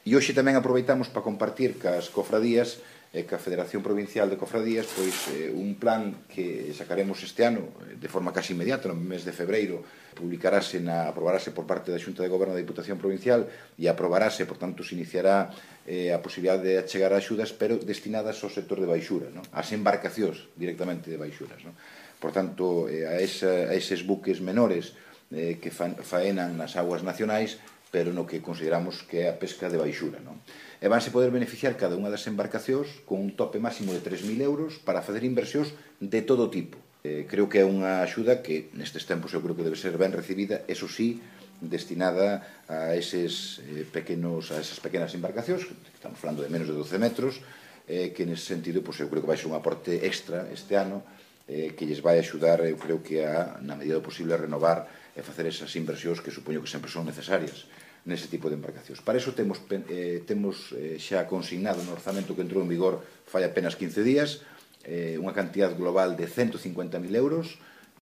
E hoxe tamén aproveitamos para compartir cas cofradías e ca Federación Provincial de Cofradías un plan que sacaremos este ano de forma casi inmediata, no mes de febreiro aprobarase por parte da Xunta de Goberno da Diputación Provincial e aprobarase, por tanto, se iniciará a posibilidade de achegar axudas, pero destinadas ao sector de baixura, ás embarcacións directamente de baixuras. Por tanto, a eses buques menores que faenan nas aguas nacionais, pero no que consideramos que é a pesca de baixura. E vanse poder beneficiar cada unha das embarcacións con un tope máximo de 3.000 euros para facer inversións de todo tipo. Creo que é unha axuda que nestes tempos eu creo que debe ser ben recibida, eso sí, destinada a esas pequenas embarcacións, que estamos falando de menos de 12 metros, que nese sentido eu creo que vai ser un aporte extra este ano, que lles vai axudar, eu creo que na medida do posible, a renovar e facer esas inversións que supoño que sempre son necesarias nese tipo de embarcacións. Para iso temos xa consignado no orzamento que entrou en vigor fai apenas 15 días unha cantidad global de 150.000 euros